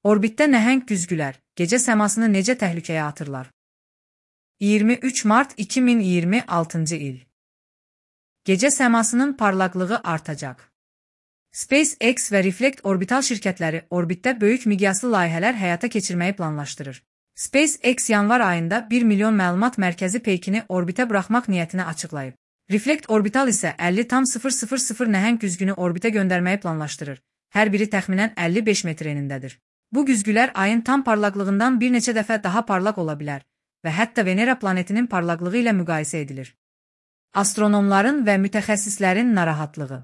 Orbitdə nəhəng güzgülər gecə səmasını necə təhlükəyə atırlar? 23 mart 2026-cı il. Gecə səmasının parlaqlığı artacaq. SpaceX və Reflect orbital şirkətləri orbitdə böyük miqyaslı layihələr həyata keçirməyi planlaşdırır. SpaceX yanvar ayında 1 milyon məlumat mərkəzi peykini orbitə buraxmaq niyyətini açıqlayıb. Reflect orbital isə 50,000 nəhəng güzgünü orbitə göndərməyi planlaşdırır. Hər biri təxminən 55 metr enindədir. Bu güzgülər ayın tam parlaqlığından bir neçə dəfə daha parlaq ola bilər və hətta Venera planetinin parlaqlığı ilə müqayisə edilir. Astronomların və mütəxəssislərin narahatlığı.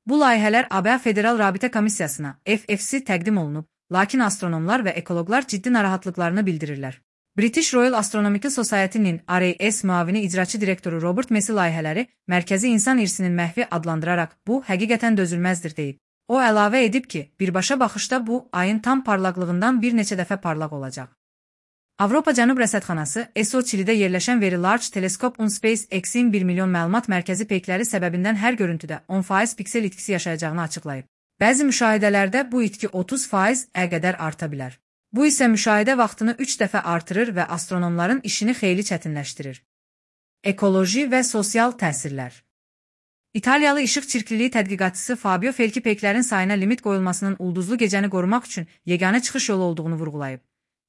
Bu layihələr ABŞ Federal Rabitə Komissiyasına FFC təqdim olunub, lakin astronomlar və ekoloqlar ciddi narahatlıqlarını bildirirlər. British Royal Astronomical Society-nin RAS müavini icraçı direktoru Robert Messi layihələri mərkəzi insan irsinin məhvi adlandıraraq bu həqiqətən dözülməzdir deyib. O əlavə edib ki, birbaşa baxışda bu ayın tam parlaqlığından bir neçə dəfə parlaq olacaq. Avropa Cənub Rəsədxanası ESO Çilidə yerləşən Very Large Telescope on SpaceX-in 1 milyon məlumat mərkəzi peykləri səbəbindən hər görüntüdə 10% piksel itkisi yaşayacağını açıqlayıb. Bəzi müşahidələrdə bu itki 30%-ə qədər arta bilər. Bu isə müşahidə vaxtını 3 dəfə artırır və astronomların işini xeyli çətinləşdirir. Ekoloji və sosial təsirlər. İtaliyalı işıq çirkliliyi tədqiqatçısı Fabio Felki peyklərin sayına limit qoyulmasının ulduzlu gecəni qorumaq üçün yeganə çıxış yolu olduğunu vurğulayıb.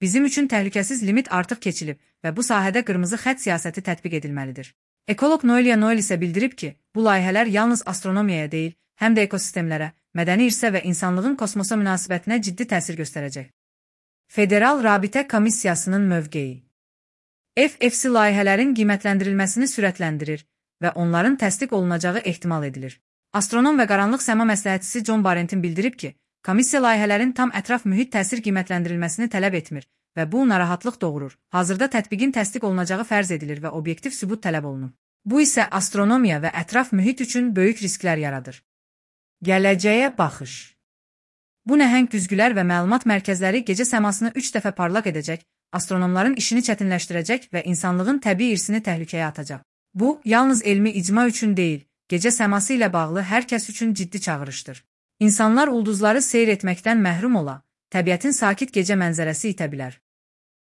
Bizim üçün təhlükəsiz limit artıq keçilib və bu sahədə qırmızı xətt siyasəti tətbiq edilməlidir. Ekoloq Noelia Noel isə bildirib ki, bu layihələr yalnız astronomiyaya deyil, həm də ekosistemlərə, mədəni irsə və insanlığın kosmosa münasibətinə ciddi təsir göstərəcək. Federal Rabitə Komissiyasının mövqeyi. FFC layihələrin qiymətləndirilməsini sürətləndirir və onların təsdiq olunacağı ehtimal edilir. Astronom və qaranlıq səma məsləhətçisi John Barentin bildirib ki, komissiya layihələrin tam ətraf mühit təsir qiymətləndirilməsini tələb etmir və bu narahatlıq doğurur. Hazırda tətbiqin təsdiq olunacağı fərz edilir və obyektiv sübut tələb olunur. Bu isə astronomiya və ətraf mühit üçün böyük risklər yaradır. Gələcəyə baxış. Bu nəhəng güzgülər və məlumat mərkəzləri gecə səmasını 3 dəfə parlaq edəcək, astronomların işini çətinləşdirəcək və insanlığın təbii irsini təhlükəyə atacaq. Bu, yalnız elmi icma üçün deyil, gecə səması ilə bağlı hər kəs üçün ciddi çağırışdır. İnsanlar ulduzları seyr etməkdən məhrum ola, təbiətin sakit gecə mənzərəsi itə bilər.